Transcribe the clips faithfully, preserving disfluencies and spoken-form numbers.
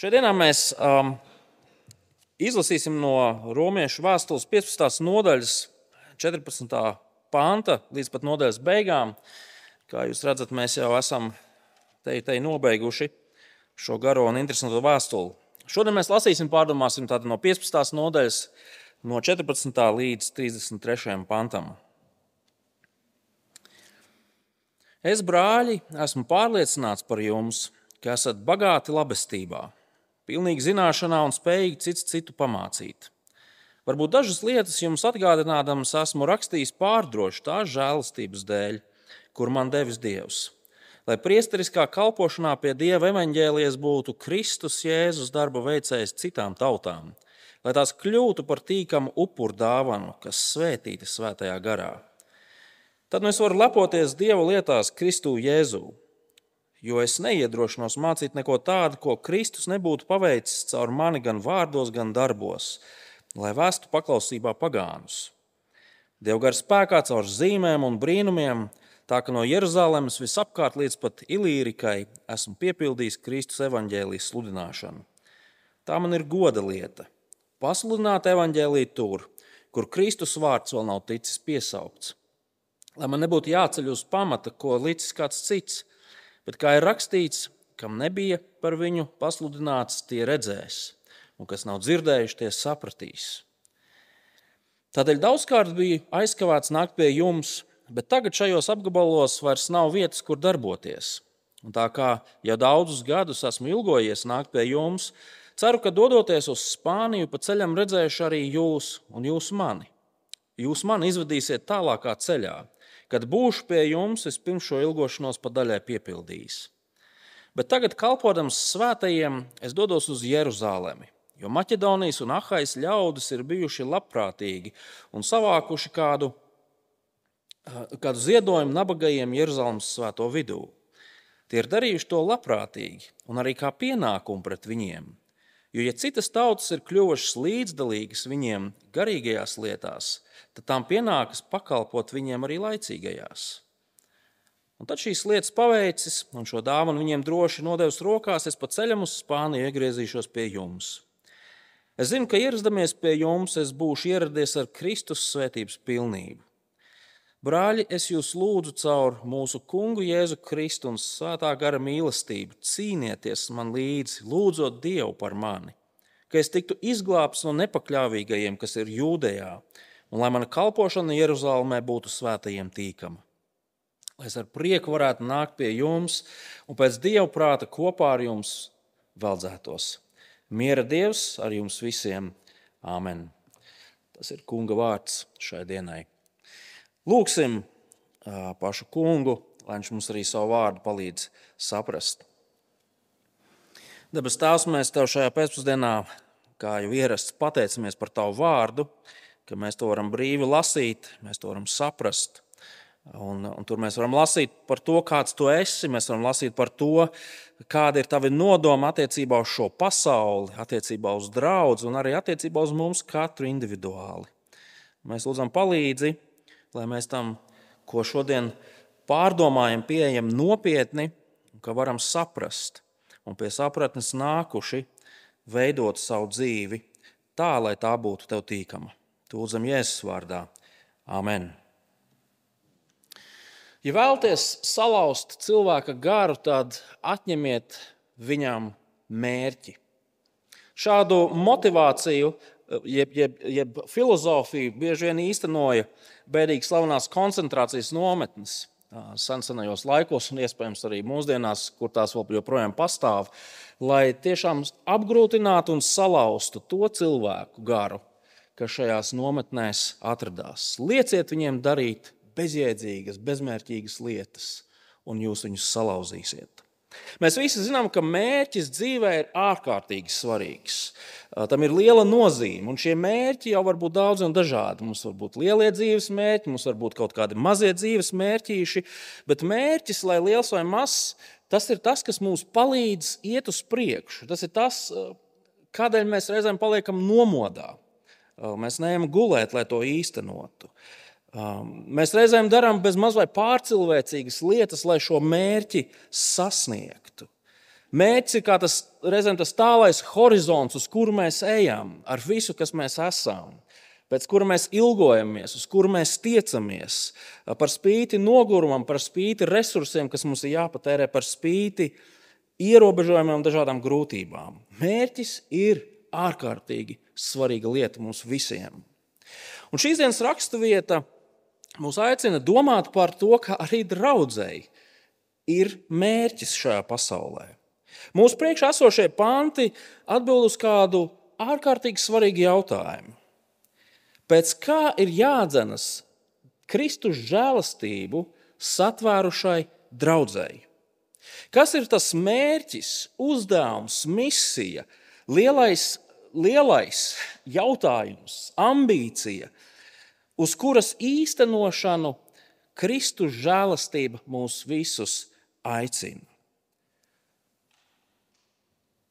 Šodienā mēs um, izlasīsim no Romiešu vēstules piecpadsmitās nodaļas četrpadsmitā panta līdz pat nodaļas beigām. Kā jūs redzat, mēs jau esam te, te nobeiguši šo garo un interesanto vēstuli. Šodien mēs lasīsim, pārdomāsim tādu no piecpadsmitās nodaļas no četrpadsmitā līdz trīsdesmit trešajam pantam. Es, brāļi, esmu pārliecināts par jums, ka esat bagāti labestībā, pilnīgi zināšanā un spējīgi cits citu pamācīt. Varbūt dažas lietas jums atgādinādams esmu rakstījis pārdroši tās žēlastības dēļ, kur man devis Dievs, lai priesteriskā kalpošanā pie Dieva evaņģēlijas būtu Kristus Jēzus darba veicējs citām tautām, lai tās kļūtu par tīkamu upuru dāvanu, kas svētīta svētajā garā. Tad nu es varu lepoties Dieva lietās Kristu Jēzū, jo es neiedrošinos mācīt neko tādu, ko Kristus nebūtu paveicis caur mani gan vārdos, gan darbos, lai vestu paklausībā pagānus. Dievgara spēkā caur zīmēm un brīnumiem, tā ka no Jeruzalemes visapkārt līdz pat Ilīrikai esmu piepildījis Kristus evaņģēlijas sludināšanu. Tā man ir goda lieta – pasludināt evaņģēliju tur, kur Kristus vārds vēl nav ticis piesaukts. Lai man nebūtu jāceļ uz pamata, ko licis kāds cits, bet kā ir rakstīts, kam nebija par viņu pasludināts, tie redzēs, un kas nav dzirdējuši, tie sapratīs. Tādēļ daudzkārt bija aizkavēts nākt pie jums, bet tagad šajos apgabalos vairs nav vietas, kur darboties. Un tā kā jau daudzus gadus esmu ilgojies nākt pie jums, ceru, ka dodoties uz Spāniju, pa ceļam redzēšu arī jūs un jūs mani. Jūs mani izvadīsiet tālākā ceļā. Kad būšu pie jums, es pirms šo ilgošanos pa daļai piepildījis. Bet tagad, kalpodams svētajiem, es dodos uz Jeruzalemi, jo Maķedonijas un Ahais ļaudis ir bijuši labprātīgi un savākuši kādu, kādu ziedojumu nabagajiem Jeruzalemes svēto vidū. Tie ir darījuši to labprātīgi un arī kā pienākumu pret viņiem, jo ja citas tautas ir kļuvušas līdzdalīgas viņiem garīgajās lietās, tad tām pienākas pakalpot viņiem arī laicīgajās. Un tad šīs lietas paveicis un šo dāvanu viņiem droši nodevis rokās, es pa ceļam uz Spāniju iegriezīšos pie jums. Es zinu, ka ierazdamies pie jums, es būšu ieradies ar Kristus svētības pilnību. Brāļi, es jūs lūdzu caur mūsu kungu Jēzu Kristu un svētā gara mīlestību, cīnieties man līdzi, lūdzot Dievu par mani, ka es tiktu izglābts no nepakļāvīgajiem, kas ir Jūdejā, un lai mana kalpošana Jeruzalemē būtu svētajiem tīkama. Lai es ar prieku varētu nākt pie jums un pēc Dieva prāta kopā ar jums veldzētos. Miera Dievs ar jums visiem. Āmen. Tas ir kunga vārds šai dienai. Lūksim pašu kungu, lai viņš mums arī savu vārdu palīdz saprast. Debes Tēvs, mēs Tev šajā pēcpusdienā, kā jau ierasts, pateicamies par Tavu vārdu, ka mēs to varam brīvi lasīt, mēs to varam saprast. Un, un tur mēs varam lasīt par to, kāds Tu esi, mēs varam lasīt par to, kāda ir Tavi nodoma attiecībā uz šo pasauli, attiecībā uz draudzi un arī attiecībā uz mums katru individuāli. Mēs lūdzam palīdzi, lai mēs tam, ko šodien pārdomājam, pieejam nopietni, ka varam saprast un pie sapratnes nākuši veidot savu dzīvi tā, lai tā būtu Tev tīkama. Lūdzam Jēzus vārdā. Āmen. Ja vēlaties salauzt cilvēka garu, tad atņemiet viņam mērķi. Šādu motivāciju, jeb, jeb, jeb filozofiju bieži vien īstenoja bēdīgi slavenās koncentrācijas nometnes sensenajos laikos un iespējams arī mūsdienās, kur tās vēl joprojām pastāv, lai tiešām apgrūtinātu un salauztu to cilvēku garu, kas šajās nometnēs atradās. Lieciet viņiem darīt bezjēdzīgas, bezmērķīgas lietas, un jūs viņus salauzīsiet. Mēs visi zinām, ka mērķis dzīvē ir ārkārtīgi svarīgs. Tam ir liela nozīme, un šie mērķi jau var būt daudz un dažādi. Mums var būt lielie dzīves mērķi, mums var būt kaut kādi mazie dzīves mērķīši, bet mērķis, lai liels vai mazs, tas ir tas, kas mums palīdz iet uz priekšu. Tas ir tas, kādēļ mēs reizēm paliekam nomodā. Mēs neejam gulēt, lai to īstenotu. Mēs reizēm darām bez maz vai pārcilvēcīgas lietas, lai šo mērķi sasniegtu. Mērķis ir kā tas, reizēm tas tālais horizonts, uz kuru mēs ejam, ar visu, kas mēs esam, pēc kura mēs ilgojamies, uz kuru mēs tiecamies, par spīti nogurumam, par spīti resursiem, kas mums ir jāpatērē, par spīti ierobežojumiem un dažādām grūtībām. Mērķis ir ārkārtīgi svarīga lieta mums visiem. Un šīs dienas raksturvieta mūs aicina domāt par to, ka arī draudzei ir mērķis šajā pasaulē. Mūsu priekšā esošie panti atbild uz kādu ārkārtīgi svarīgu jautājumu. Pēc kā ir jādzenas Kristus žēlastību satvērušai draudzei? Kas ir tas mērķis, uzdevums, misija, lielais, lielais jautājums, ambīcija, uz kuras īstenošanu Kristus žēlastība mūs visus aicina?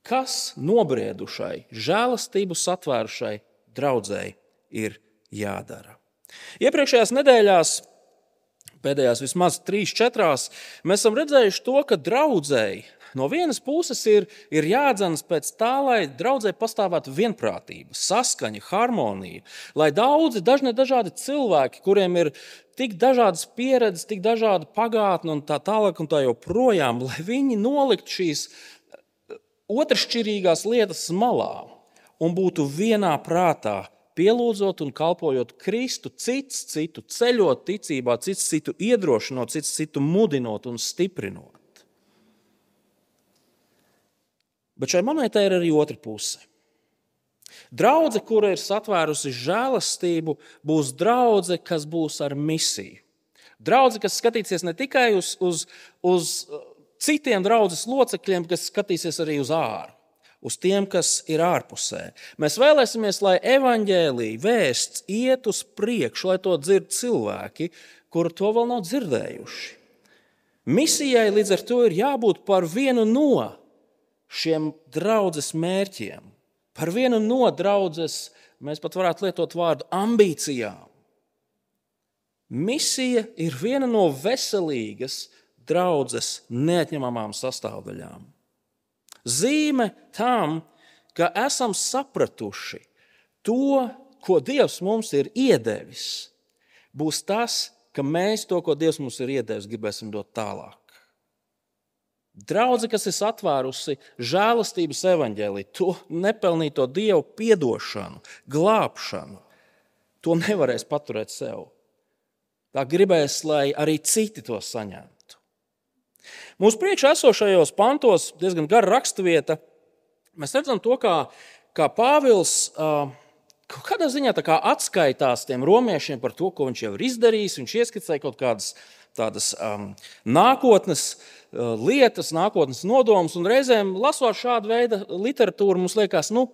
Kas nobriedušai, žēlastību satvērušai draudzei ir jādara? Iepriekšējās nedēļās, pēdējās vismaz trīs, četrās, mēs esam redzējuši to, ka draudzei no vienas puses ir, ir jādzenas pēc tā, lai draudzei pastāvētu vienprātība, saskaņa, harmonija, lai daudzi, dažne dažādi cilvēki, kuriem ir tik dažādas pieredzes, tik dažāda pagātne un tā tālāk un tā joprojām, lai viņi nolikt šīs otršķirīgās lietas malā un būtu vienā prātā, pielūdzot un kalpojot Kristu, cits citu ceļot ticībā, cits citu iedrošinot, cits citu mudinot un stiprinot. Bet šai monētai ir arī otra puse. Draudze, kura ir satvērusi žēlastību, būs draudze, kas būs ar misiju. Draudze, kas skatīsies ne tikai uz, uz, uz citiem draudzes locekļiem, kas skatīsies arī uz āru, uz tiem, kas ir ārpusē. Mēs vēlēsimies, lai evaņģēlija vēsts iet uz priekšu, lai to dzird cilvēki, kuri to vēl nav dzirdējuši. Misijai līdz ar to ir jābūt par vienu no šiem draudzes mērķiem, par vienu no draudzes, mēs pat varētu lietot vārdu ambīcijām. Misija ir viena no veselīgas draudzes neatņemamām sastāvdaļām. Zīme tam, ka esam sapratuši to, ko Dievs mums ir iedevis, būs tas, ka mēs to, ko Dievs mums ir iedevis, gribēsim dot tālāk. Draudze, kas ir atvērusi žēlastības evaņģēliju, to nepelnīto Dievu piedošanu, glābšanu, to nevarēs paturēt sev. Tā gribēs, lai arī citi to saņemtu. Mūsu priekšā esošajos pantos, diezgan gara raksturvieta, mēs redzam to, kā, kā Pāvils uh, kaut kādā ziņā tā kā atskaitās tiem romiešiem par to, ko viņš jau ir izdarījis. Viņš ieskicēja kaut kādas tādas um, nākotnes uh, lietas, nākotnes nodomus, un reizēm lasot šādu veidu literatūru, mums liekas, nu,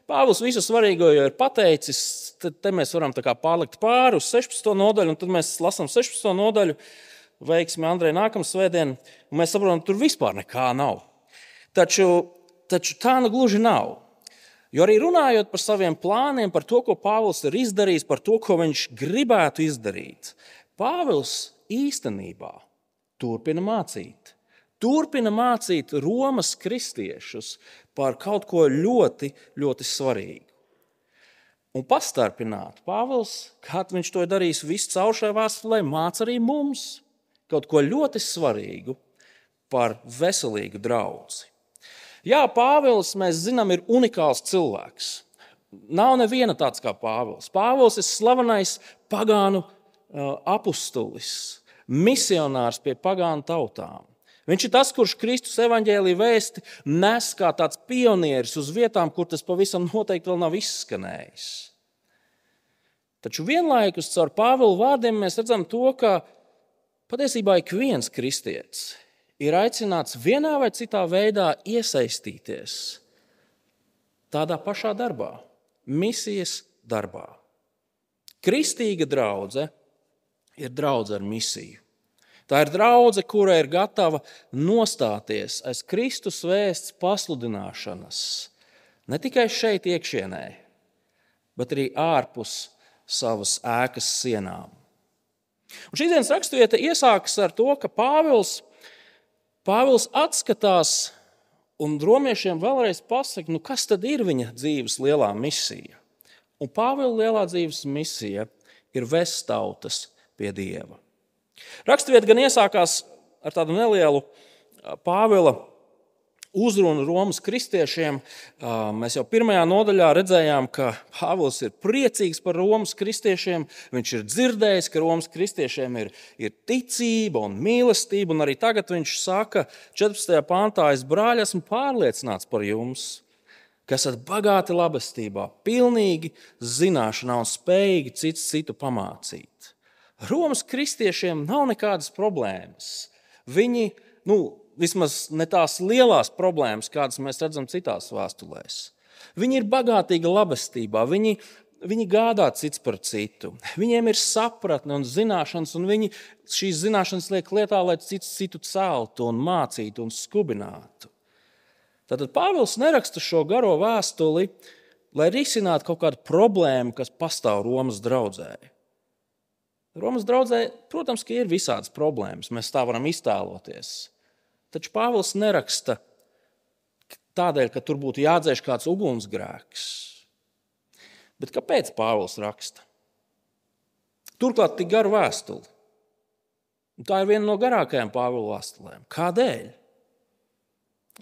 Pāvils visu svarīgo jau ir pateicis, tad te mēs varam tā kā pārlikt pāri uz sešpadsmito nodaļu, un tad mēs lasām sešpadsmito nodaļu, veiksmi Andrej nākamā svētdien, un mēs saprotam, tur vispār nekā nav. Taču, taču tā nu gluži nav. Jo arī runājot par saviem plāniem, par to, ko Pāvils ir izdarījis, par to, ko viņš gribētu izdarīt, Pāvils īstenībā turpina mācīt. Turpina mācīt Romas kristiešus par kaut ko ļoti, ļoti svarīgu. Un pastarpināt Pāvils, kā viņš to ir darījis visu caur šai vēstulē, māca arī mums kaut ko ļoti svarīgu par veselīgu draudzi. Jā, Pāvils, mēs zinām, ir unikāls cilvēks. Nav neviena tāds kā Pāvils. Pāvils ir slavenais pagānu apustulis, misionārs pie pagānu tautām. Viņš ir tas, kurš Kristus evaņģēlija vēsti nes kā tāds pionieris uz vietām, kur tas pavisam noteikti vēl nav izskanējis. Taču vienlaikus caur Pāvila vārdiem mēs redzam to, ka patiesībā ik viens kristietis ir aicināts vienā vai citā veidā iesaistīties tādā pašā darbā, misijas darbā. Kristīga draudze ir draudze ar misiju. Tā ir draudze, kura ir gatava nostāties aiz Kristus vēsts pasludināšanas, ne tikai šeit iekšienē, bet arī ārpus savas ēkas sienām. Un šīs dienas raksturvieta iesākas ar to, ka Pāvils, Pāvils atskatās Un romiešiem vēlreiz pasaka, nu kas tad ir viņa dzīves lielā misija? Un Pāvila lielā dzīves misija ir vest tautas pie Dieva. Raksturvieta gan iesākās ar tādu nelielu Pāvila uzrunu Romas kristiešiem. Mēs jau pirmajā nodaļā redzējām, ka Pāvils ir priecīgs par Romas kristiešiem. Viņš ir dzirdējis, ka Romas kristiešiem ir, ir ticība un mīlestība. Un arī tagad viņš saka četrpadsmitajā pantā, es brāļi esmu pārliecināts par jums, ka esat bagāti labestībā, pilnīgi zināšanā un spējīgi cits citu pamācīt. Romas kristiešiem nav nekādas problēmas. Viņi, nu, vismaz ne tās lielās problēmas, kādas mēs redzam citās vēstulēs. Viņi ir bagātīgi labestībā, viņi, viņi gādā cits par citu. Viņiem ir sapratne un zināšanas, un viņi šīs zināšanas liek lietā, lai cits citu celtu un mācītu un skubinātu. Tātad Pāvils neraksta šo garo vēstuli, lai risinātu kaut kādu problēmu, kas pastāv Romas draudzē. Romas draudzē, protams, ka ir visādas problēmas, mēs tā varam iztēloties. Taču Pāvils neraksta tādēļ, ka tur būtu jādzēš kāds ugunsgrēks. Bet kāpēc Pāvils raksta? Turklāt tik garu vēstuli. Un tā ir viena no garākajām Pāvila vēstulēm. Kādēļ?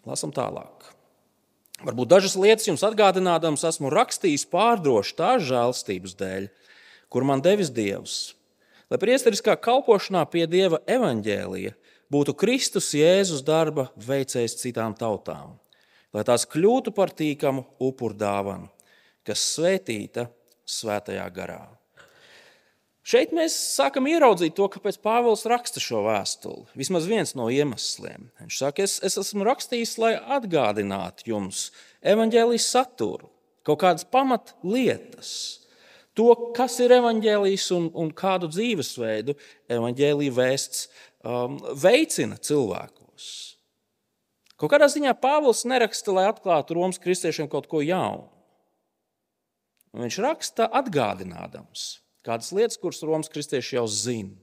Lasam tālāk. Varbūt dažas lietas jums atgādinādams esmu rakstījis pārdroši tās žēlstības dēļ, kur man devis Dievs, lai priesteriskā kalpošanā pie Dieva evaņģēlija būtu Kristus Jēzus darba veicējs citām tautām, lai tās kļūtu par tīkamu upurdāvanu, kas svētīta svētajā garā. Šeit mēs sākam ieraudzīt to, kāpēc Pāvils raksta šo vēstuli. Vismaz viens no iemesliem. Viņš saka, es, es esmu rakstījis, lai atgādinātu jums evaņģēlijas saturu, kaut kādas pamat lietas. To, kas ir evaņģēlijs un, un kādu dzīvesveidu evaņģēlija vēsts um, veicina cilvēkos. Kaut kādā ziņā Pāvils neraksta, lai atklātu Romas kristiešiem kaut ko jaunu. Viņš raksta atgādinādams kādas lietas, kuras Romas kristieši jau zina.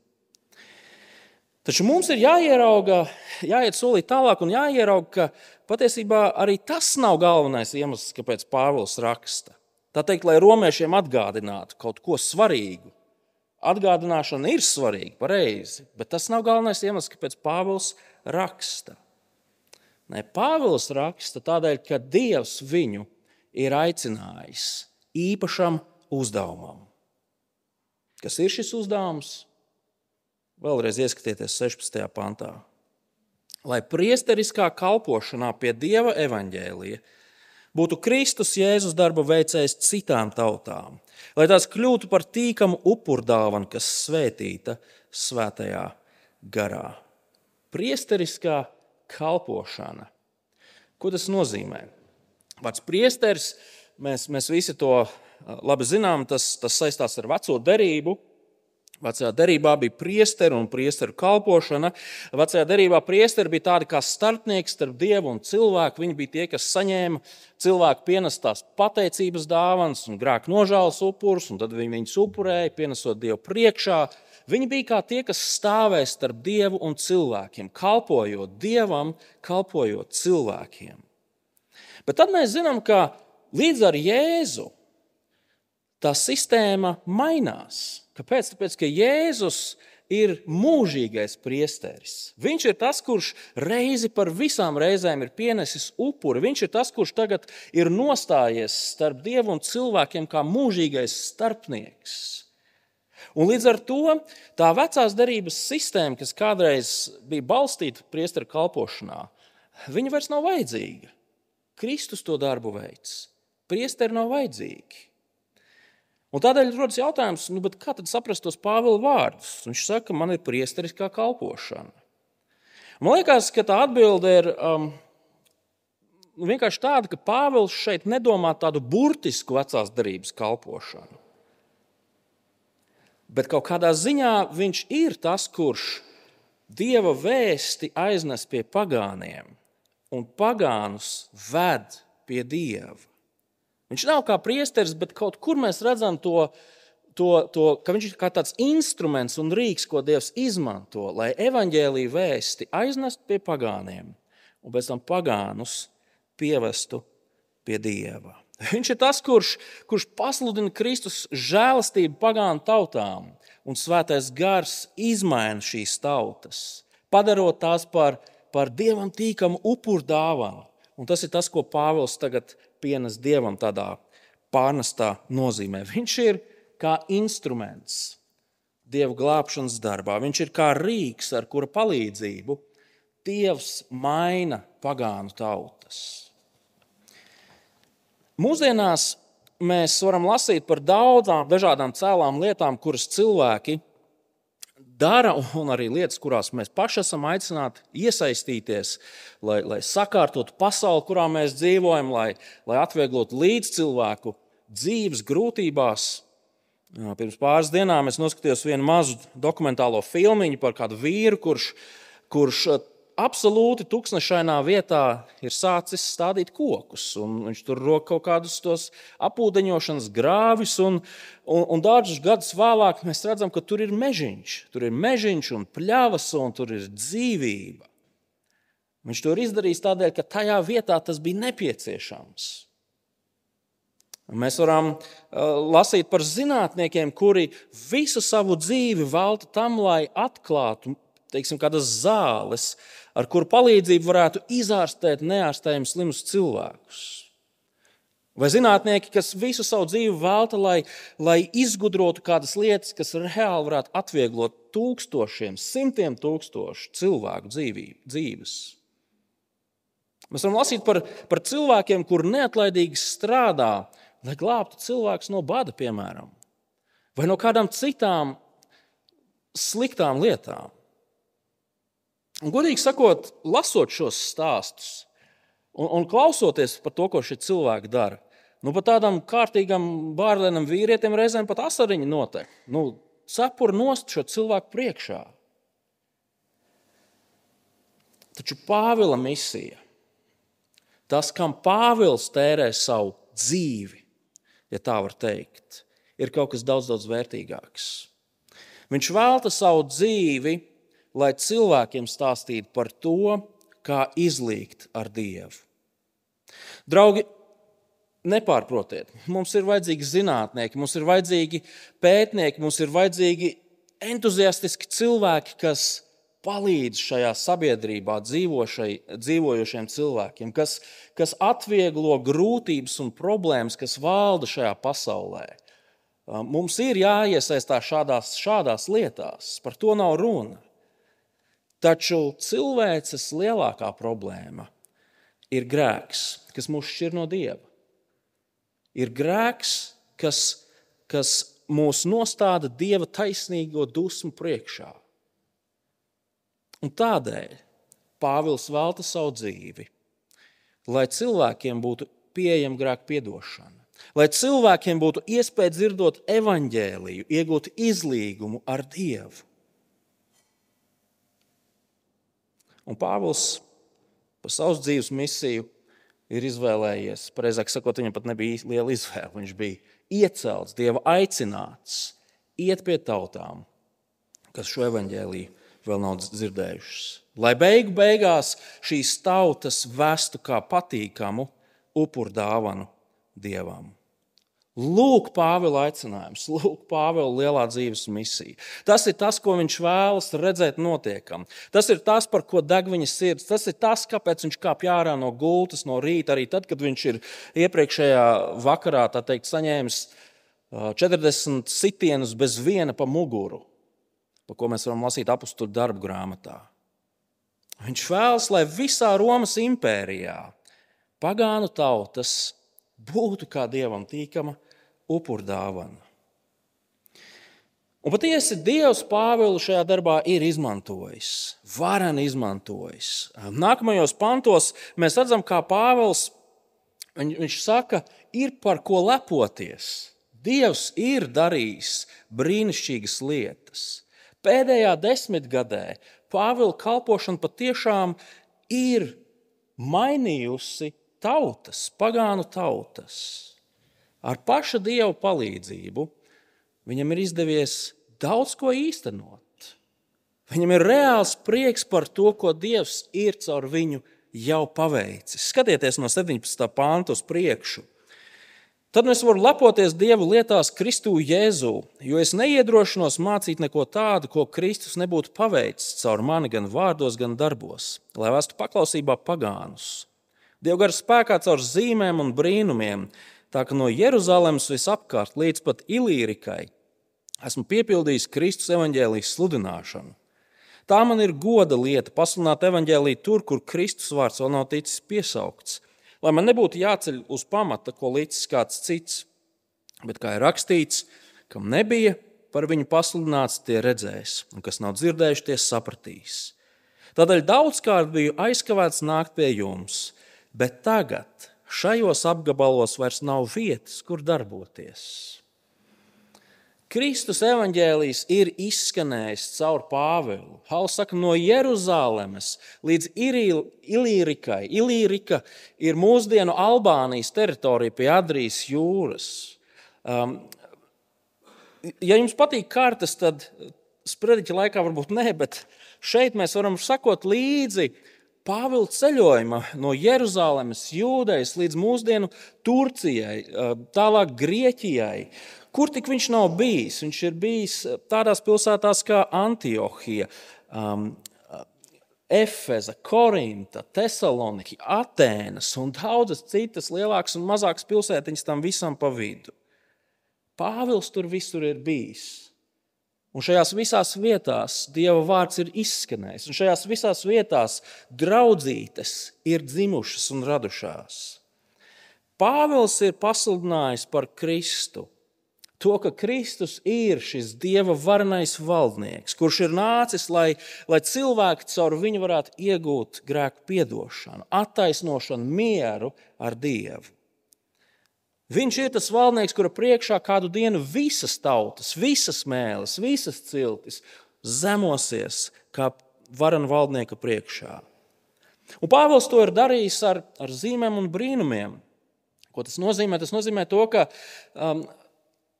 Taču mums ir jāierauga, jāiet solīt tālāk un jāierauga, ka patiesībā arī tas nav galvenais iemesls, kāpēc Pāvils raksta. Tā teikt, lai romiešiem atgādinātu kaut ko svarīgu. Atgādināšana ir svarīga, pareizi, bet tas nav galvenais iemesls, kāpēc Pāvils raksta. Nē, Pāvils raksta tādēļ, ka Dievs viņu ir aicinājis īpašam uzdevumam. Kas ir šis uzdevums? Vēlreiz ieskatieties sešpadsmitajā pantā. Lai priesteriskā kalpošanā pie Dieva evaņģēlija būtu Kristus Jēzus darba veicējs citām tautām, lai tās kļūtu par tīkamu upurdāvanu, kas svētīta svētajā garā. Priesteriskā kalpošana. Ko tas nozīmē? Vārds priesteris, mēs, mēs visi to labi zinām, tas, tas saistās ar veco derību. Vecajā derībā bija priesteri un priesteru kalpošana. Vecajā derībā priesteri bija tādi kā starpnieki starp Dievu un cilvēku. Viņi bija tie, kas saņēma cilvēku pienestās pateicības dāvanas un grēku nožēlas upurus, un tad viņi viņus upurēja, pienesot Dievu priekšā. Viņi bija kā tie, kas stāvēja starp Dievu un cilvēkiem, kalpojot Dievam, kalpojot cilvēkiem. Bet tad mēs zinām, ka līdz ar Jēzu tā sistēma mainās. Kāpēc? Tāpēc, ka Jēzus ir mūžīgais priesteris. Viņš ir tas, kurš reizi par visām reizēm ir pienesis upuri. Viņš ir tas, kurš tagad ir nostājies starp Dievu un cilvēkiem kā mūžīgais starpnieks. Un līdz ar to tā vecās derības sistēma, kas kādreiz bija balstīta priesteru kalpošanā, viņa vairs nav vajadzīga. Kristus to darbu veids. Priesteri nav vajadzīgi. Un tādēļ rodas jautājums, nu, bet kā tad saprast tos Pāvila vārdus? Viņš saka, man ir priesteriskā kalpošana. Man liekas, ka tā atbilde ir um, vienkārši tāda, ka Pāvils šeit nedomā tādu burtisku vecās derības kalpošanu. Bet kaut kādā ziņā viņš ir tas, kurš Dieva vēsti aiznes pie pagāniem un pagānus ved pie Dieva. Viņš nav kā priesteris, bet kaut kur mēs redzam to, to, to, ka viņš ir kā tāds instruments un rīks, ko Dievs izmanto, lai evaņģēlija vēsti aiznest pie pagāniem un pēc tam pagānus pievestu pie Dieva. Viņš ir tas, kurš, kurš pasludina Kristus žēlastību pagānu tautām, un svētais gars izmaina šīs tautas, padarot tās par, par Dievam tīkamu upuru dāvanu. Un tas ir tas, ko Pāvils tagad pienes Dievam tādā pārnestā nozīmē. Viņš ir kā instruments Dieva glābšanas darbā. Viņš ir kā rīks, ar kura palīdzību Dievs maina pagānu tautas. Mūsdienās mēs varam lasīt par daudzām dažādām cēlām lietām, kuras cilvēki dara, un arī lietas, kurās mēs paši esam aicināti iesaistīties, lai, lai sakārtotu pasauli, kurā mēs dzīvojam, lai, lai atvieglotu līdz cilvēku dzīves grūtībās. Pirms pāris dienām es noskatījos vienu mazu dokumentālo filmiņu par kādu vīru, kurš, kurš absolūti tuksnešainā vietā ir sācis stādīt kokus. Un viņš tur rok kaut kādus tos apūdeņošanas grāvis, un, un, un dažus gadus vēlāk mēs redzam, ka tur ir mežiņš. Tur ir mežiņš un pļavas, un tur ir dzīvība. Viņš to ir izdarījis tādēļ, ka tajā vietā tas bija nepieciešams. Mēs varam uh, lasīt par zinātniekiem, kuri visu savu dzīvi velta tam, lai atklātu, teiksim, kādas zāles, ar kuru palīdzību varētu izārstēt neārstējami slimus cilvēkus. Vai zinātnieki, kas visu savu dzīvi velta, lai, lai izgudrotu kādas lietas, kas reāli varētu atvieglot tūkstošiem, simtiem tūkstošu cilvēku dzīvību, dzīves. Mēs varam lasīt par, par cilvēkiem, kuri neatlaidīgi strādā, lai glābtu cilvēkus no bada, piemēram, vai no kādām citām sliktām lietām. Un, godīgi sakot, lasot šos stāstus un, un klausoties par to, ko šie cilvēki dara, nu, pat tādam kārtīgam bārlenam vīrietim reizēm pat asariņi notek. Nu, cepur nost šo cilvēku priekšā. Taču Pāvila misija, tas, kam Pāvils tērē savu dzīvi, ja tā var teikt, ir kaut kas daudz, daudz vērtīgāks. Viņš velta savu dzīvi, lai cilvēkiem stāstītu par to, kā izlīgt ar Dievu. Draugi, nepārprotiet, mums ir vajadzīgi zinātnieki, mums ir vajadzīgi pētnieki, mums ir vajadzīgi entuziastiski cilvēki, kas palīdz šajā sabiedrībā dzīvojošiem cilvēkiem, kas, kas atvieglo grūtības un problēmas, kas valda šajā pasaulē. Mums ir jāiesaistās šādās, šādās lietās, par to nav runa. Taču cilvēces lielākā problēma ir grēks, kas mūs šķir no Dieva. Ir grēks, kas, kas mūs nostāda Dieva taisnīgo dusmu priekšā. Un tādēļ Pāvils velta savu dzīvi, lai cilvēkiem būtu pieejama grēka piedošana, lai cilvēkiem būtu iespēja dzirdot evaņģēliju, iegūt izlīgumu ar Dievu. Un Pāvils par savas dzīves misiju ir izvēlējies, pareizāk sakot, viņam pat nebija liela izvēle, viņš bija iecelts, Dieva aicināts, iet pie tautām, kas šo evaņģēliju vēl nav dzirdējušas. Lai beigu beigās šīs tautas vestu kā patīkamu upuru dāvanu Dievam. Lūk, Pāvila aicinājums, lūk, Pāvila lielā dzīves misija. Tas ir tas, ko viņš vēlas redzēt notiekam. Tas ir tas, par ko deg viņa sirds. Tas ir tas, kāpēc viņš kāpj ārā no gultas no rīta, arī tad, kad viņš ir iepriekšējā vakarā, tā teikt, saņēmis četrdesmit sitienus bez viena pa muguru, par ko mēs varam lasīt apustuļu darbu grāmatā. Viņš vēlas, lai visā Romas impērijā pagānu tautas būtu kā Dievam tīkama upurdāvana. Un patiesi Dievs Pāvilu šajā darbā ir izmantojis, vareni izmantojis. Nākamajos pantos mēs redzam, kā Pāvils, viņš saka, ir par ko lepoties. Dievs ir darījis brīnišķīgas lietas. Pēdējā desmitgadē Pāvila kalpošana patiešām ir mainījusi tautas, pagānu tautas. Ar paša Dieva palīdzību viņam ir izdevies daudz ko īstenot. Viņam ir reāls prieks par to, ko Dievs ir caur viņu jau paveicis. Skatieties no septiņpadsmitā panta uz priekšu. Tad es varu lepoties Dievu lietās Kristū Jēzū, jo es neiedrošinos mācīt neko tādu, ko Kristus nebūtu paveicis caur mani gan vārdos, gan darbos, lai vestu paklausībā pagānus. Dieva gara spēkā caur zīmēm un brīnumiem, tā ka no Jeruzalemes visapkārt līdz pat Ilīrikai esmu piepildījis Kristus evaņģēlijas sludināšanu. Tā man ir goda lieta pasludināt evaņģēliju tur, kur Kristus vārds vēl nav ticis piesaukts, lai man nebūtu jāceļ uz pamata, ko licis kāds cits, bet kā ir rakstīts, kam nebija par viņu pasludināts, tie redzēs, un kas nav dzirdējuši, tie sapratīs. Tādēļ daudzkārt biju aizkavēts nākt pie jums, bet tagad šajos apgabalos vairs nav vietas, kur darboties. Kristus evaņģēlijs ir izskanējis caur Pāvilu. Pāvils saka, no Jeruzalemes līdz Ilīrikai. Ilīrika ir mūsdienu Albānijas teritorija pie Adrijas jūras. Um, ja jums patīk kartes, tad sprediķa laikā varbūt ne, bet šeit mēs varam sakot līdzi Pāvila ceļojuma no Jeruzalemes, Jūdejas līdz mūsdienu Turcijai, tālāk Grieķijai. Kur tik viņš nav bijis? Viņš ir bijis tādās pilsētās kā Antiohija, um, Efeza, Korinta, Tesaloniki, Atēnas un daudzas citas lielākas un mazākas pilsētiņas tam visam pa vidu. Pāvils tur visur ir bijis. Un šajās visās vietās Dieva vārds ir izskanējis. Un šajās visās vietās draudzītes ir dzimušas un radušās. Pāvils ir pasludinājis par Kristu. To, ka Kristus ir šis Dieva varenais valdnieks, kurš ir nācis, lai, lai cilvēki caur viņu varētu iegūt grēku piedošanu, attaisnošanu, mieru ar Dievu. Viņš ir tas valdnieks, kura priekšā kādu dienu visas tautas, visas mēles, visas ciltis zemosies kā varena valdnieka priekšā. Un Pāvils to ir darījis ar, ar zīmēm un brīnumiem. Ko tas nozīmē? Tas nozīmē to, ka um,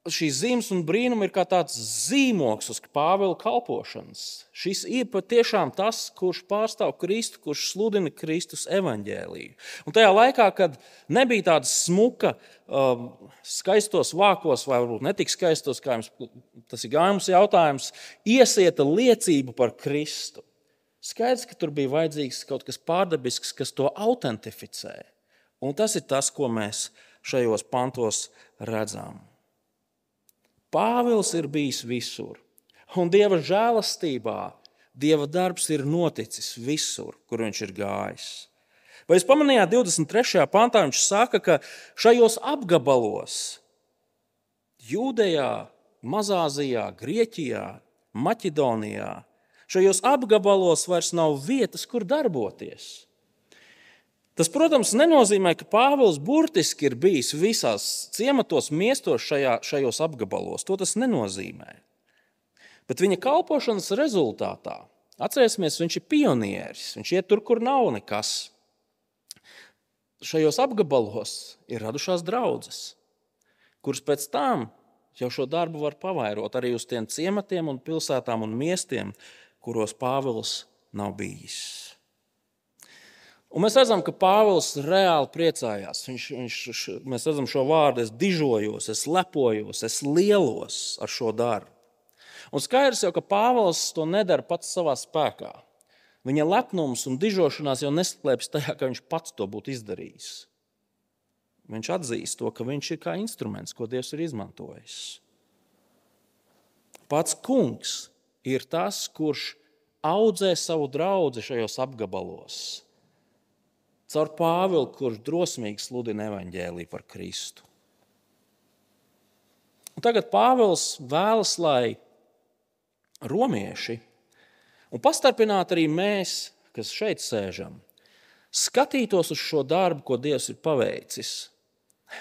šīs zīmes un brīnumi ir kā tāds zīmoks uz Pāvila kalpošanas. Šis ir patiešām tas, kurš pārstāv Kristu, kurš sludina Kristus evaņģēliju. Un tajā laikā, kad nebija tāda smuka, um, skaistos vākos, vai varbūt netik skaistos, kā jums, tas ir gājums jautājums, iesieta liecība par Kristu. Skaidrs, ka tur bija vajadzīgs kaut kas pārdabisks, kas to autentificē. Un tas ir tas, ko mēs šajos pantos redzam. Pāvils ir bijis visur, un Dieva žēlastībā Dieva darbs ir noticis visur, kur viņš ir gājis. Vai jūs pamanījāt divdesmit trešajā pantā, viņš saka, ka šajos apgabalos, Jūdejā, Mazāzijā, Grieķijā, Maķedonijā, šajos apgabalos vairs nav vietas, kur darboties. Tas, protams, nenozīmē, ka Pāvils burtiski ir bijis visās ciematos, miestos šajā, šajos apgabalos. To tas nenozīmē. Bet viņa kalpošanas rezultātā, atcerēsimies, viņš ir pionieris, viņš iet tur, kur nav nekas. Šajos apgabalos ir radušās draudzes, kuras pēc tam jau šo darbu var pavairot arī uz tiem ciematiem un pilsētām un miestiem, kuros Pāvils nav bijis. Un mēs redzam, ka Pāvils reāli priecājās. Viņš, viņš, mēs redzam šo vārdu, es dižojos, es lepojos, es lielos ar šo darbu. Un skaidrs jau, ka Pāvils to nedara pats savā spēkā. Viņa lepnums un dižošanās jau neslēpjas tajā, ka viņš pats to būtu izdarījis. Viņš atzīst to, ka viņš ir kā instruments, ko Dievs ir izmantojis. Pats kungs ir tas, kurš audzē savu draudzi šajos apgabalos. Caur Pāvilu, kurš drosmīgi sludina evaņģēliju par Kristu. Un tagad Pāvils vēlas, lai romieši, un pastarpināt arī mēs, kas šeit sēžam, skatītos uz šo darbu, ko Dievs ir paveicis,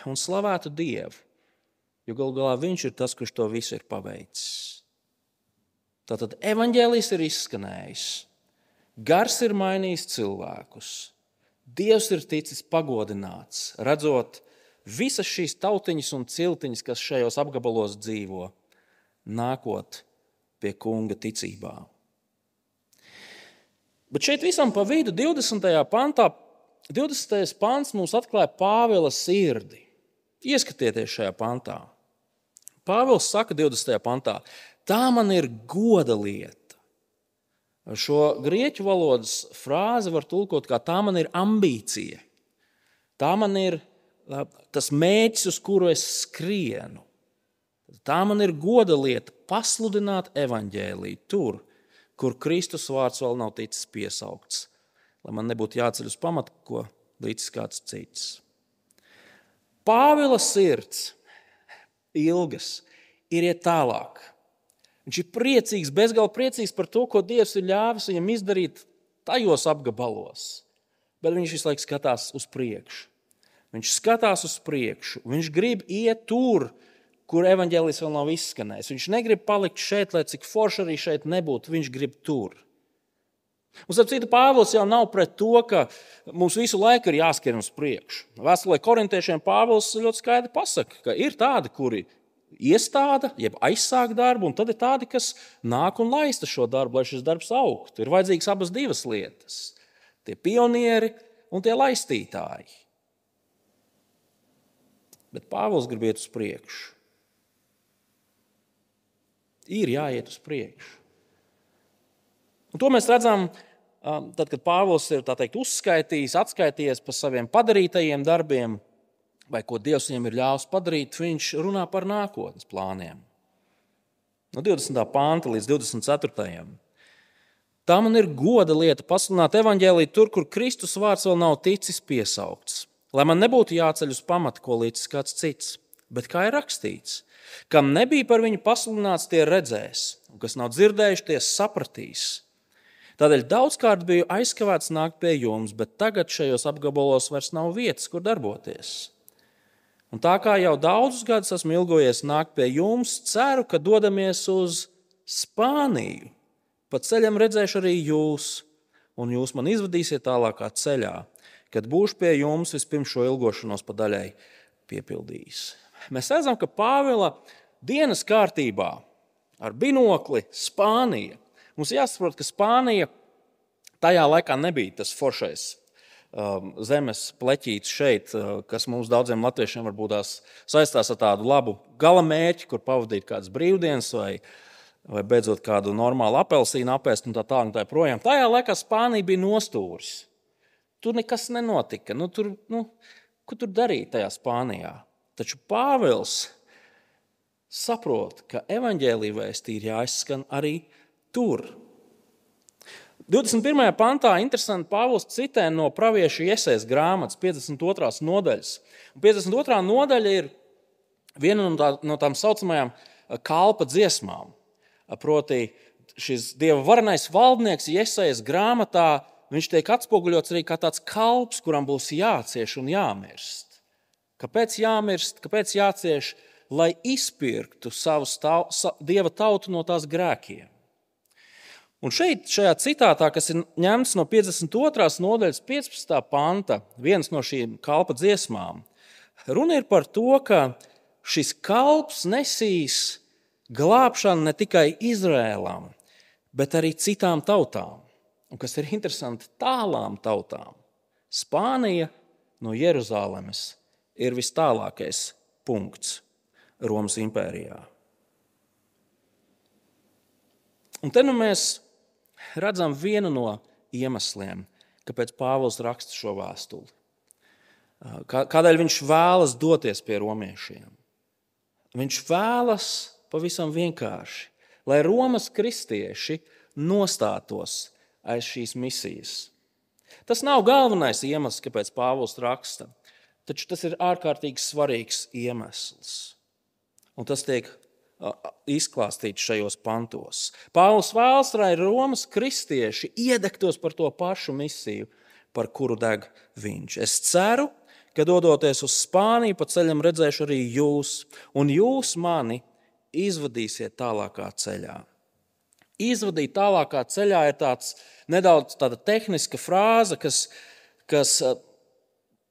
un slavētu Dievu, jo galu galā viņš ir tas, kurš to visu ir paveicis. Tātad evaņģēlijs ir izskanējis, gars ir mainījis cilvēkus, Dievs ir ticis pagodināts, redzot visas šīs tautiņas un ciltiņas, kas šajos apgabalos dzīvo, nākot pie kunga ticībā. Bet šeit visam pa vidu divdesmitajā pantā, divdesmitais pants mums atklāja Pāvila sirdi. Ieskatieties šajā pantā. Pāvils saka divdesmitajā pantā, tā man ir goda lieta. Šo grieķu valodas frāzi var tulkot kā tā man ir ambīcija. Tā man ir tas mērķis, uz kuru es skrienu. Tā man ir goda lieta pasludināt evaņģēliju tur, kur Kristus vārds vēl nav ticis piesaukts, lai man nebūtu jāceļ uz pamatu, ko līdz kāds cits. Pāvila sirds ilgas ir iet tālāk. Viņš ir priecīgs, bezgalīgi priecīgs par to, ko Dievs ir ļāvis viņam izdarīt tajos apgabalos. Bet viņš visu laiku skatās uz priekšu. Viņš skatās uz priekšu. Viņš grib iet tur, kur evaņģēlijs vēl nav izskanējis. Viņš negrib palikt šeit, lai cik forši arī šeit nebūtu. Viņš grib tur. Un, starp citu, Pāvils jau nav pret to, ka mums visu laiku ir jāskrien uz priekšu. Vēstulē korintiešiem Pāvils ļoti skaidri pasaka, ka ir tādi, kuri iestāda, jeb aizsāk darbu, un tad ir tādi, kas nāk un laista šo darbu, lai šis darbs augtu. Ir vajadzīgas abas divas lietas. Tie pionieri un tie laistītāji. Bet Pāvils grib iet uz priekšu. Ir jāiet uz priekšu. Un to mēs redzam, tad, kad Pāvils ir tā teikt, uzskaitījis, atskaitījies par saviem padarītajiem darbiem, vai ko Dievs viņam ir ļāvis padarīt, viņš runā par nākotnes plāniem. No divdesmitā panta līdz divdesmit ceturtajam Tā man ir goda lieta pasludināt evaņģēliju tur, kur Kristus vārds vēl nav ticis piesaukts, lai man nebūtu jāceļ uz pamatu, ko līdz kāds cits. Bet kā ir rakstīts, kam nebija par viņu pasludināts, tie redzēs, un kas nav dzirdējuši, tie sapratīs. Tādēļ daudzkārt biju aizkavēts nākt pie jums, bet tagad šajos apgabalos vairs nav vietas, kur darboties. Un tā kā jau daudzus gadus esmu ilgojies nākt pie jums, ceru, ka dodamies uz Spāniju. Pa ceļam redzēšu arī jūs, un jūs man izvadīsiet tālākā ceļā, kad būšu pie jums vispirms šo ilgošanos pa daļai piepildījis. Mēs redzam, ka Pāvila dienas kārtībā ar binokli Spānija. Mums jāsaprot, ka Spānija tajā laikā nebija tas foršais zemes pleķīts šeit, kas mums daudziem latviešiem varbūt tās saistās ar tādu labu gala mērķi, kur pavadīt kādas brīvdienas vai, vai beidzot kādu normālu apelsīnu apēst un tā tā un tā projām. Tajā laikā Spānija bija nostūris. Tur nekas nenotika. Nu, tur, nu, ko tur darīt tajā Spānijā? Taču Pāvils saprot, ka evaņģēlija vēsti ir jāizskan arī tur. divdesmit pirmajā pantā interesanti Pāvils citē no pravieša Jesajas grāmatas piecdesmit otrās nodaļas. Un piecdesmit otrā nodaļa ir viena no, tā, no tām saucamajām kalpa dziesmām. Proti šis Dieva varenais valdnieks Jesajas grāmatā, viņš tiek atspoguļots arī kā tāds kalps, kuram būs jācieš un jāmirst. Kāpēc jāmirst, kāpēc jācieš? Lai izpirktu savu stav, sa, Dieva tautu no tās grēkiem. Un šeit, šajā citātā, kas ir ņemts no piecdesmit otrās nodaļas piecpadsmitā panta, viens no šīm kalpa dziesmām, runa ir par to, ka šis kalps nesīs glābšanu ne tikai Izrēlam, bet arī citām tautām. Un kas ir interesanti, tālām tautām. Spānija no Jeruzalemes ir vis tālākais punkts Romas impērijā. Un te nu mēs redzam vienu no iemesliem, kāpēc Pāvils raksta šo vēstuli. Kādēļ viņš vēlas doties pie romiešiem? Viņš vēlas pavisam vienkārši, lai Romas kristieši nostātos aiz šīs misijas. Tas nav galvenais iemesls, kāpēc Pāvils raksta, taču tas ir ārkārtīgi svarīgs iemesls. Un tas tiek izklāstīts šajos pantos. Pāvils vēlas, lai Romas kristieši iedegtos par to pašu misiju, par kuru deg viņš. Es ceru, ka dodoties uz Spāniju, pa ceļam redzēšu arī jūs, un jūs mani izvadīsiet tālākā ceļā. Izvadīt tālākā ceļā ir tāds nedaudz tāda tehniska frāze, kas, kas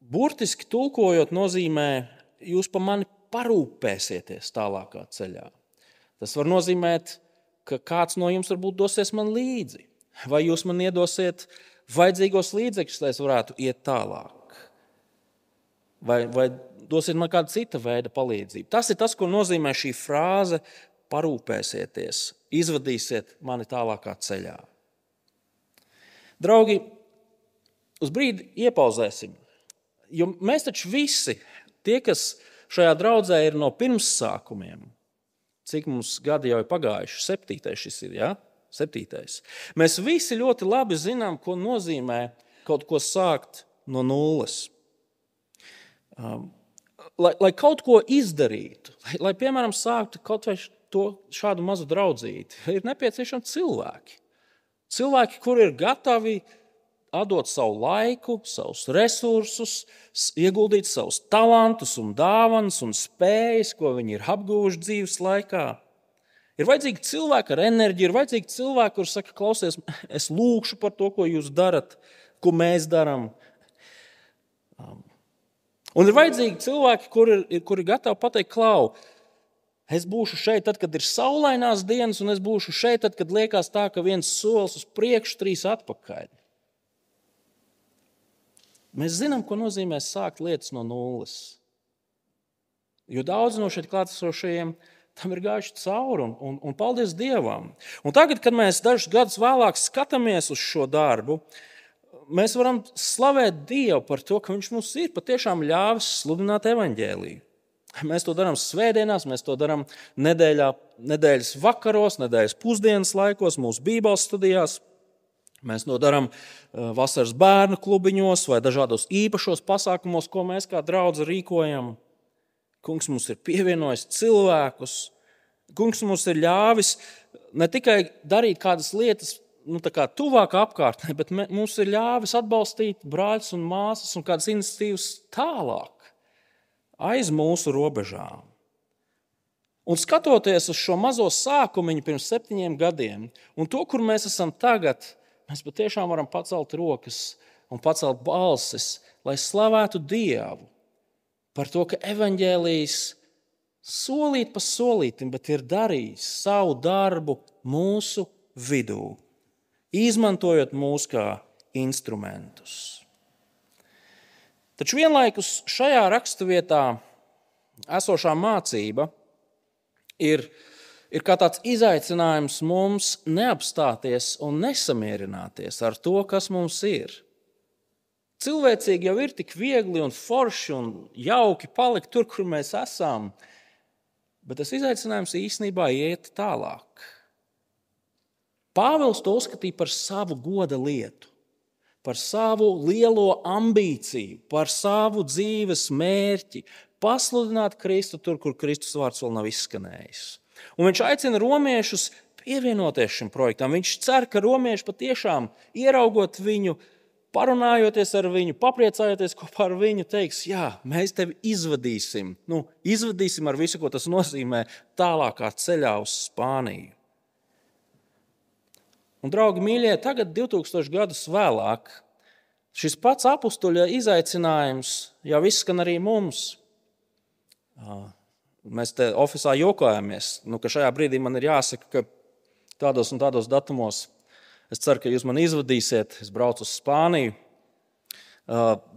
burtiski tulkojot nozīmē, jūs pa mani parūpēsieties tālākā ceļā. Tas var nozīmēt, ka kāds no jums varbūt dosies man līdzi. Vai jūs man iedosiet vajadzīgos līdzekļus, lai es varētu iet tālāk? Vai, vai dosiet man kādu cita veida palīdzību? Tas ir tas, ko nozīmē šī frāze parūpēsieties, izvadīsiet mani tālākā ceļā. Draugi, uz brīdi iepauzēsim, jo mēs taču visi, tie, kas šajā draudzē ir no pirmssākumiem, cik mums gadi jau ir pagājuši, septītais šis ir, ja? Septītais. Mēs visi ļoti labi zinām, ko nozīmē kaut ko sākt no nulles. Um, lai, lai kaut ko izdarītu, lai, lai piemēram sāktu kaut vai to šādu mazu draudzīti, ir nepieciešami cilvēki. Cilvēki, kuri ir gatavi atdot savu laiku, savus resursus, ieguldīt savus talantus un dāvanas un spējas, ko viņi ir apguvuši dzīves laikā. Ir vajadzīgi cilvēki ar enerģiju, ir vajadzīgi cilvēki, kurš saka, klausies, es lūkšu par to, ko jūs darat, ko mēs darām. Un ir vajadzīgi cilvēki, kuri ir, kuri ir gatavi pateikt, klau, es būšu šeit tad, kad ir saulainās dienas, un es būšu šeit tad, kad liekas tā, ka viens solis uz priekšu, trīs atpakaļ. Mēs zinām, ko nozīmē sākt lietas no nulles. Jo daudz no šeit klātesošajiem tam ir gājuši cauri, un, un, un paldies Dievam. Un tagad, kad mēs dažus gadus vēlāk skatāmies uz šo darbu, mēs varam slavēt Dievu par to, ka Viņš mums ir patiešām ļāvis sludināt evaņģēliju. Mēs to darām svētdienās, mēs to darām nedēļā, nedēļas vakaros, nedēļas pusdienas laikos, mūsu bībeles studijās. Mēs to darām vasaras bērnu klubiņos vai dažādos īpašos pasākumos, ko mēs kā draudze rīkojam. Kungs mums ir pievienojis cilvēkus. Kungs mums ir ļāvis ne tikai darīt kādas lietas nu, tā kā tuvāk apkārtnē, bet mums ir ļāvis atbalstīt brāļus un māsas un kādas iniciatīvas tālāk, aiz mūsu robežām. Un skatoties uz šo mazo sākumiņu pirms septiņiem gadiem un to, kur mēs esam tagad, mēs patiešām varam pacelt rokas un pacelt balsis, lai slavētu Dievu par to, ka evaņģēlijs solīt pa solītim, bet ir darījis savu darbu mūsu vidū, izmantojot mūs kā instrumentus. Taču vienlaikus šajā raksturvietā esošā mācība ir, ir kā tāds izaicinājums mums neapstāties un nesamierināties ar to, kas mums ir. Cilvēcīgi jau ir tik viegli un forši un jauki palikt tur, kur mēs esam, bet tas izaicinājums īstenībā iet tālāk. Pāvils to uzskatīja par savu goda lietu, par savu lielo ambīciju, par savu dzīves mērķi, pasludināt Kristu tur, kur Kristus vārds vēl nav izskanējis. Un viņš aicina romiešus pievienoties šim projektam. Viņš cer, ka romieši patiešām ieraugot viņu, parunājoties ar viņu, papriecājoties kopā ar viņu, teiks, jā, mēs tevi izvadīsim. Nu, izvadīsim ar visu, ko tas nozīmē tālākā ceļā uz Spāniju. Un, draugi mīļie, tagad divtūkstoši gadus vēlāk šis pats apustuļa izaicinājums jau izskan arī mums. Mēs te ofisā jokojāmies, nu, ka šajā brīdī man ir jāsaka, ka tādos un tādos datumos es ceru, ka jūs mani izvadīsiet, es braucu uz Spāniju,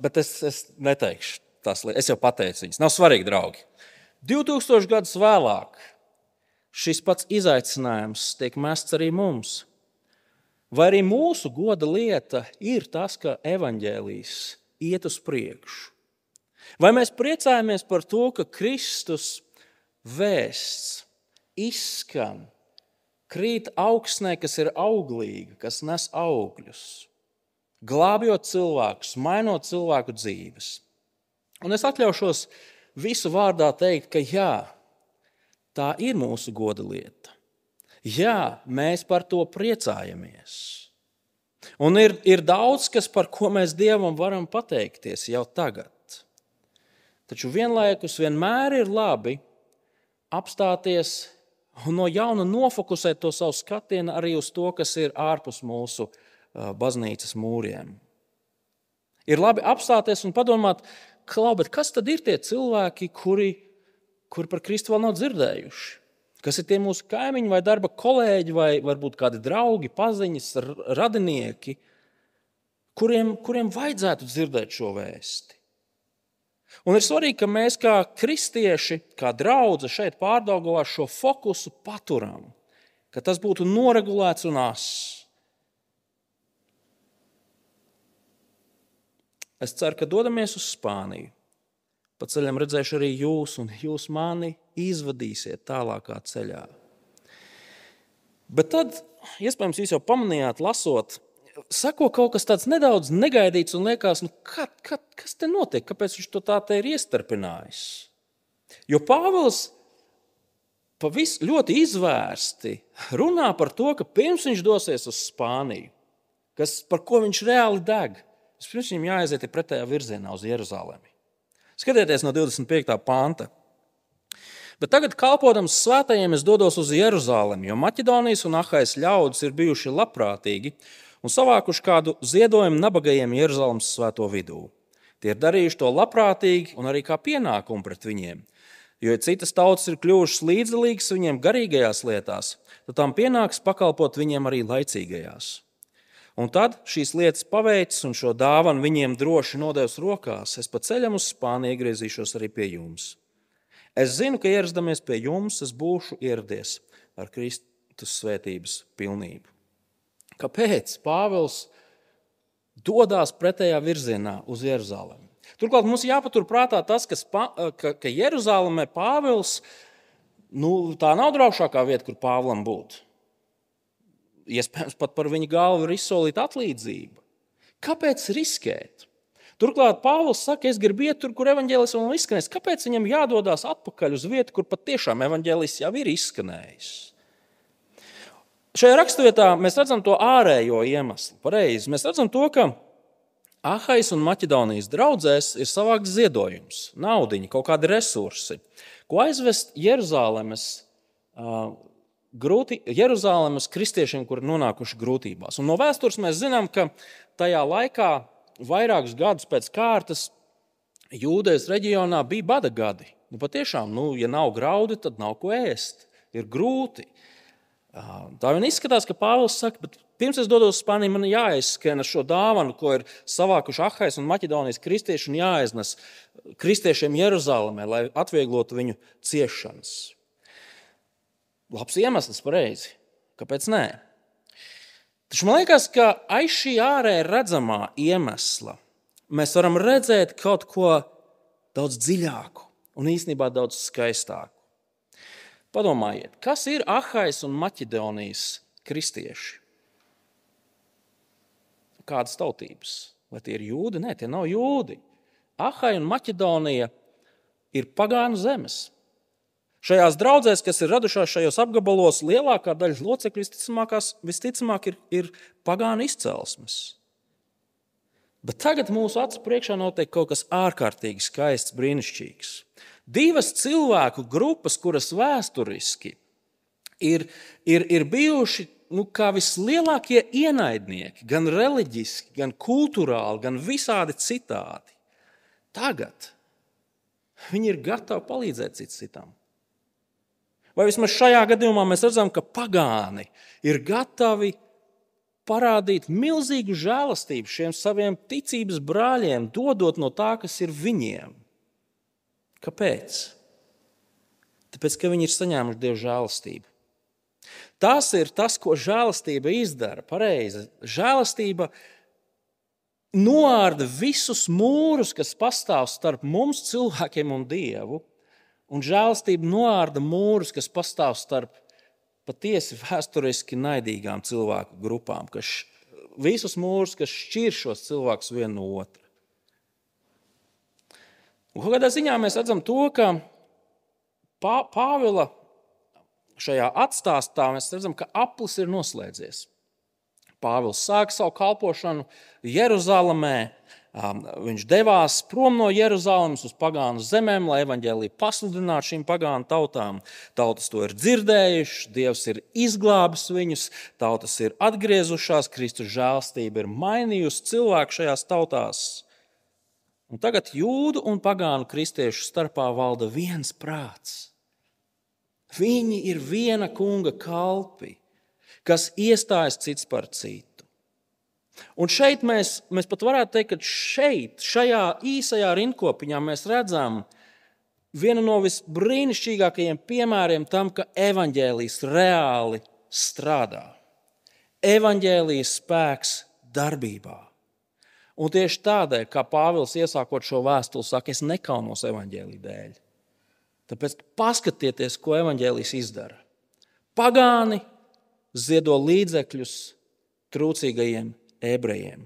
bet es, es neteikšu tās lietas, es jau pateicu viņas, nav svarīgi, draugi. divtūkstoši gadus vēlāk šis pats izaicinājums tiek mests arī mums. Vai arī mūsu goda lieta ir tas, ka evaņģēlijs iet uz priekšu? Vai mēs priecājamies par to, ka Kristus vēsts izskan, krīt augsnē, kas ir auglīga, kas nes augļus, glābjot cilvēkus, mainot cilvēku dzīves? Un es atļaušos visu vārdā teikt, ka jā, tā ir mūsu goda lieta. Jā, mēs par to priecājamies. Un ir, ir daudz, kas par ko mēs Dievam varam pateikties jau tagad. Taču vienlaikus vienmēr ir labi apstāties un no jauna nofokusēt to savu skatienu arī uz to, kas ir ārpus mūsu baznīcas mūriem. Ir labi apstāties un padomāt, klau, bet kas tad ir tie cilvēki, kuri, kuri par Kristu vēl nav dzirdējuši? Kas ir tie mūsu kaimiņi vai darba kolēģi vai varbūt kādi draugi, paziņas, radinieki, kuriem, kuriem vajadzētu dzirdēt šo vēsti. Un ir svarīgi, ka mēs kā kristieši, kā draudze šeit Pārdaugavā šo fokusu paturam, ka tas būtu noregulēts un ass. Es ceru, ka dodamies uz Spāniju. Pa ceļam redzēšu arī jūs, un jūs mani izvadīsiet tālākā ceļā. Bet tad, iespējams, jūs jau pamanījāt, lasot, sako kaut kas tāds nedaudz negaidīts un liekas, nu, kad, kad, kas te notiek, kāpēc viņš to tā te ir iestarpinājis? Jo Pāvils pavis ļoti izvērsti runā par to, ka pirms viņš dosies uz Spāniju, kas, par ko viņš reāli deg, pirms viņam jāaiziet pretējā virzienā uz Jeruzalemi. Skatieties no divdesmit piektā panta. Bet tagad, kalpodams svētajiem, es dodos uz Jeruzalemi, jo Maķedonijas un Ahajas ļaudis ir bijuši labprātīgi un savākuši kādu ziedojumu nabagajiem Jeruzalemes svēto vidū. Tie ir darījuši to labprātīgi un arī kā pienākumu pret viņiem, jo citas tautas ir kļuvušas līdzdalīgas viņiem garīgajās lietās, tad tām pienāks pakalpot viņiem arī laicīgajās. Un tad šīs lietas paveicis un šo dāvanu viņiem droši nodevis rokās. Es pa ceļam uz Spāniju iegriezīšos arī pie jums. Es zinu, ka ierasdamies pie jums, es būšu ieradies ar Kristus svētības pilnību. Kāpēc Pāvils dodās pretējā virzienā uz Jeruzalemi? Turklāt mums jāpatur prātā tas, ka, ka, ka Jeruzalemē Pāvils, nu, tā nav draugšākā vieta, kur Pāvlam būtu. Iespējams, pat par viņa galvu ir izsolīta atlīdzība. Kāpēc riskēt? Turklāt Pāvils saka, es gribu iet tur, kur evaņģēlis vēl nav izskanējis. Kāpēc viņam jādodās atpakaļ uz vietu, kur patiešām evaņģēlis jau ir izskanējis? Šajā raksturvietā mēs redzam to ārējo iemeslu. Pareizi. Mēs redzam to, ka Ahajas un Maķedonijas draudzēs ir savākts ziedojums, naudiņa, kaut kādi resursi, ko aizvest Jeruzalemes uh, Grūti, Jeruzalemes kristiešiem, kuri nonākuši grūtībās. Un no vēstures mēs zinām, ka tajā laikā vairākus gadus pēc kārtas Jūdejas reģionā bija bada gadi. Nu, patiešām, nu, ja nav graudi, tad nav ko ēst. Ir grūti. Tā vien izskatās, ka Pāvils saka, bet pirms es dodos uz Spāniju, man jāizskana šo dāvanu, ko ir savākuši Ahajas un Maķedonijas kristieši, un jāaiznes kristiešiem Jeruzalemē, lai atvieglotu viņu ciešanas. Labs iemesls, pareizi. Kāpēc nē? Taču man liekas, ka aiz šī ārēji redzamā iemesla mēs varam redzēt kaut ko daudz dziļāku un īstenībā daudz skaistāku. Padomājiet, kas ir Ahajas un Maķedonijas kristieši? Kādas tautības? Vai tie ir jūdi? Nē, tie nav jūdi. Ahaja un Maķedonija ir pagānu zemes. Šajās draudzēs, kas ir radušās šajos apgabalos, lielākā daļa locekļu visticamāk ir, ir pagānu izcelsmes. Bet tagad mūsu acu priekšā notiek kaut kas ārkārtīgi skaists, brīnišķīgs. Divas cilvēku grupas, kuras vēsturiski ir, ir, ir bijuši nu, kā vislielākie ienaidnieki, gan reliģiski, gan kultūrāli, gan visādi citādi. Tagad viņi ir gatavi palīdzēt cits citam. Vai vismaz šajā gadījumā mēs redzam, ka pagāni ir gatavi parādīt milzīgu žēlastību šiem saviem ticības brāļiem, dodot no tā, kas ir viņiem. Kāpēc? Tāpēc, ka viņi ir saņēmuši Dieva žēlastību. Tas ir tas, ko žēlastība izdara. Pareizi. Žēlastība noārda visus mūrus, kas pastāv starp mums cilvēkiem un Dievu. Un žēlastība noārda mūrus, kas pastāv starp patiesi vēsturiski naidīgām cilvēku grupām, kas visus mūrus, kas šķir šos cilvēkus vienu no otra. Un kādā ziņā mēs redzam to, ka Pā, Pāvila šajā atstāstā mēs redzam, ka aplis ir noslēdzies. Pāvils sāka savu kalpošanu Jeruzalemē. Viņš devās prom no Jeruzalemes uz pagānu zemēm, lai evaņģēliju pasludinātu šīm pagānu tautām. Tautas to ir dzirdējušas, Dievs ir izglābis viņus, tautas ir atgriezušās, Kristus žēlastība ir mainījusi cilvēku šajās tautās. Un tagad jūdu un pagānu kristiešu starpā valda viens prāts. Viņi ir viena kunga kalpi, kas iestājas cits par citu. Un šeit mēs, mēs pat varētu teikt, ka šeit, šajā īsajā rindkopiņā mēs redzam vienu no visbrīnišķīgākajiem piemēriem tam, ka evaņģēlijs reāli strādā. Evaņģēlijas spēks darbībā. Un tieši tādēļ, kā Pāvils iesākot šo vēstuli saka, es nekaunos evaņģēlija dēļ. Tāpēc paskatieties, ko evaņģēlijs izdara. Pagāni ziedo līdzekļus trūcīgajiem ebrejiem.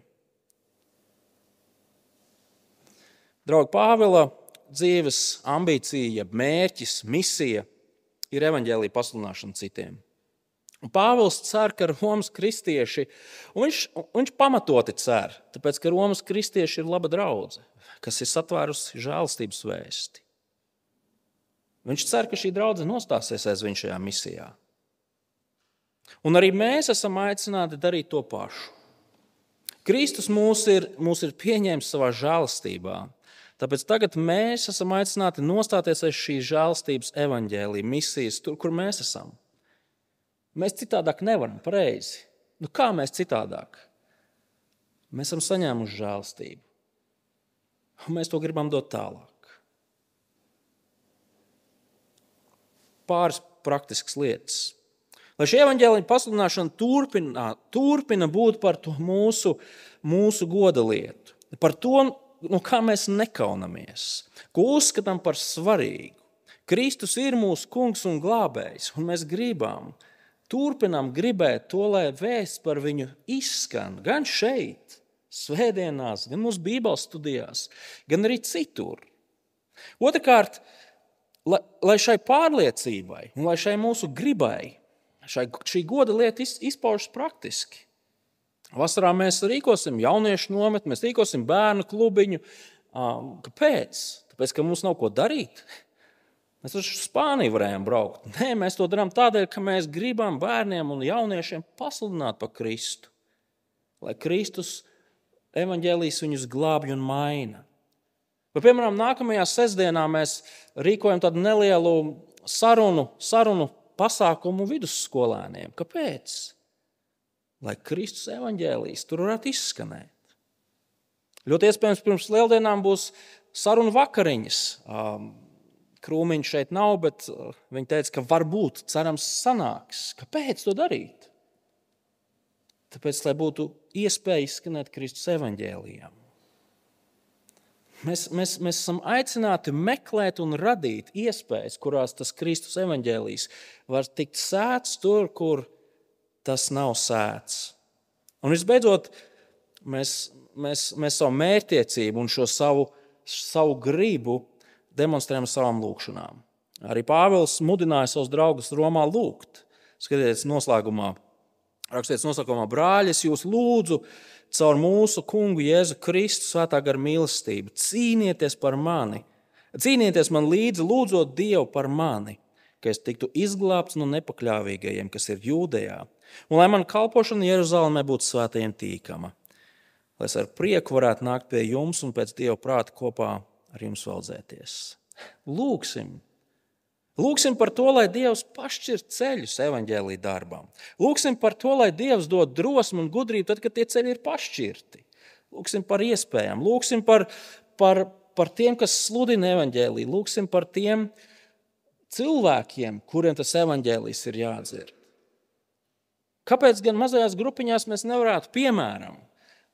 Draugi, Pāvila dzīves ambīcija, jeb mērķis, misija ir evaņģēlija pasludināšana citiem. Un Pāvils cer, ka Romas kristieši, un viņš, viņš pamatoti cer, tāpēc, ka Romas kristieši ir laba draudze, kas ir satvērusi žēlastības vēsti. Viņš cer, ka šī draudze nostāsies aiz viņa šajā misijā. Un arī mēs esam aicināti darīt to pašu. Kristus mūs ir, mūs ir pieņēmis savā žēlastībā, tāpēc tagad mēs esam aicināti nostāties aiz šīs žēlastības evaņģēlija misijas, tur, kur mēs esam. Mēs citādāk nevaram, pareizi. Nu kā mēs citādāk? Mēs esam saņēmuši žēlastību. Un mēs to gribam dot tālāk. Pāris praktiskas lietas. Lai šī evaņģēlija pasludināšana turpina, turpina būt par to mūsu, mūsu goda lietu. Par to, no kā mēs nekaunamies, ko uzskatām par svarīgu. Kristus ir mūsu kungs un glābējs, un mēs gribam, turpinām gribēt to, lai vēsts par viņu izskan gan šeit, svētdienās, gan mūsu bībeles studijās, gan arī citur. Otrakārt, lai, lai šai pārliecībai un lai šai mūsu gribai, šai, šī goda lieta izpaužas praktiski. Vasarā mēs rīkosim jauniešu nometni, mēs rīkosim bērnu klubiņu. Kāpēc? Tāpēc, ka mums nav ko darīt. Mēs uz Spāniju varējām braukt. Nē, mēs to darām tādēļ, ka mēs gribam bērniem un jauniešiem pasludināt par Kristu. Lai Kristus evaņģēlijs viņus glābj un maina. Vai, piemēram, nākamajā sestdienā mēs rīkojam tādu nelielu sarunu, sarunu pasākumu vidusskolēniem. Kāpēc? Lai Kristus evaņģēlijs tur varētu izskanēt. Ļoti iespējams, pirms lieldienām būs sarunu vakariņas. Krūmiņš šeit nav, bet viņi teica, ka varbūt, cerams, sanāks. Kāpēc to darīt? Tāpēc, lai būtu iespēja izskanēt Kristus evaņģēlijam. Mēs, mēs, mēs esam aicināti meklēt un radīt iespējas, kurās tas Kristus evaņģēlijs var tikt sēts tur, kur tas nav sēts. Un visbeidzot, mēs, mēs, mēs savu mērķtiecību un šo savu, savu gribu demonstrējam savām lūkšanām. Arī Pāvils mudināja savus draugus Romā lūgt. Skatieties noslēgumā, rakstieties noslēgumā, brāļi, es jūs lūdzu caur mūsu kungu Jēzu Kristu svētā gara mīlestību. Cīnieties par mani, cīnieties man līdzi, lūdzot Dievu par mani, ka es tiktu izglābts no nepakļāvīgajiem, kas ir Jūdejā, un lai man kalpošana Jeruzalemē būtu svētajiem tīkama, lai es ar prieku varētu nākt pie jums un pēc Dieva prāta kopā ar jums valdzēties. Lūksim. Lūksim par to, lai Dievs pašķir ceļus evaņģēlija darbam. Lūksim par to, lai Dievs dod drosmu un gudrību, tad, kad tie ceļi ir pašķirti. Lūksim par iespējām. Lūksim par, par, par tiem, kas sludina evaņģēliju. Lūksim par tiem cilvēkiem, kuriem tas evaņģēlijs ir jādzird. Kāpēc gan mazajās grupiņās mēs nevarētu, piemēram,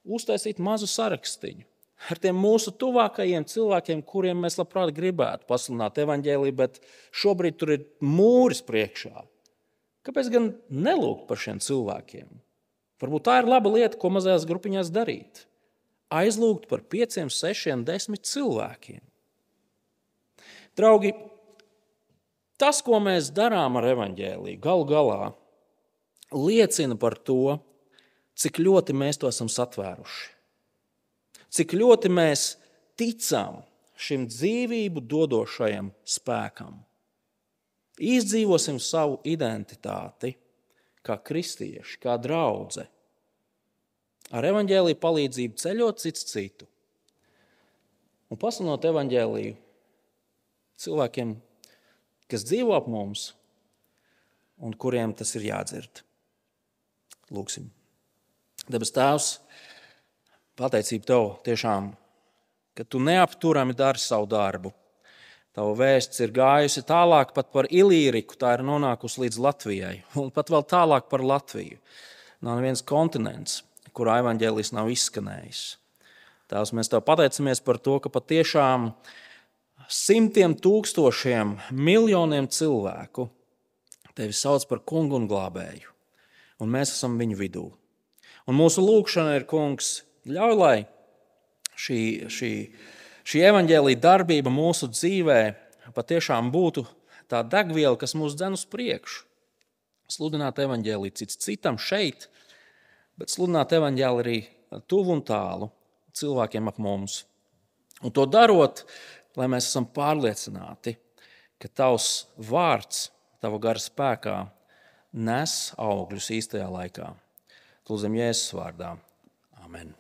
uztaisīt mazu sarakstiņu ar tiem mūsu tuvākajiem cilvēkiem, kuriem mēs labprāt gribētu pasludināt evaņģēliju, bet šobrīd tur ir mūris priekšā. Kāpēc gan nelūgt par šiem cilvēkiem? Varbūt tā ir laba lieta, ko mazajās grupiņās darīt. Aizlūgt par pieciem, sešiem, desmit cilvēkiem. Draugi, tas, ko mēs darām ar evaņģēliju, galu galā liecina par to, cik ļoti mēs to esam satvēruši. Cik ļoti mēs ticam šim dzīvību dodošajam spēkam. Izdzīvosim savu identitāti kā kristieši, kā draudze. Ar evaņģēliju palīdzību ceļot cits citu. Un pasludinot evaņģēliju cilvēkiem, kas dzīvo ap mums, un kuriem tas ir jādzird. Lūksim. Debes Tēvs, pateicība Tev tiešām, ka Tu neapturami dari savu darbu. Tava vēsts ir gājusi tālāk pat par Ilīriku, tā ir nonākusi līdz Latvijai, un pat vēl tālāk par Latviju. Nav neviens kontinents, kurā evaņģēlijs nav izskanējis. Tēvs, mēs Tev pateicamies par to, ka patiešām simtiem tūkstošiem, miljoniem cilvēku Tevi sauc par kungu un glābēju, un mēs esam viņu vidū. Un mūsu lūgšana ir, Kungs, ļauj, lai šī, šī, šī evaņģēlija darbība mūsu dzīvē patiešām būtu tā degviela, kas mūs dzen uz priekšu. Sludināt evaņģēliju cits citam šeit, bet sludināt evaņģēliju arī tuvu un tālu cilvēkiem ap mums. Un to darot, lai mēs esam pārliecināti, ka Tavs vārds, Tava gara spēkā nes augļus īstajā laikā. Lūdzam Jēzus vārdā. Amen.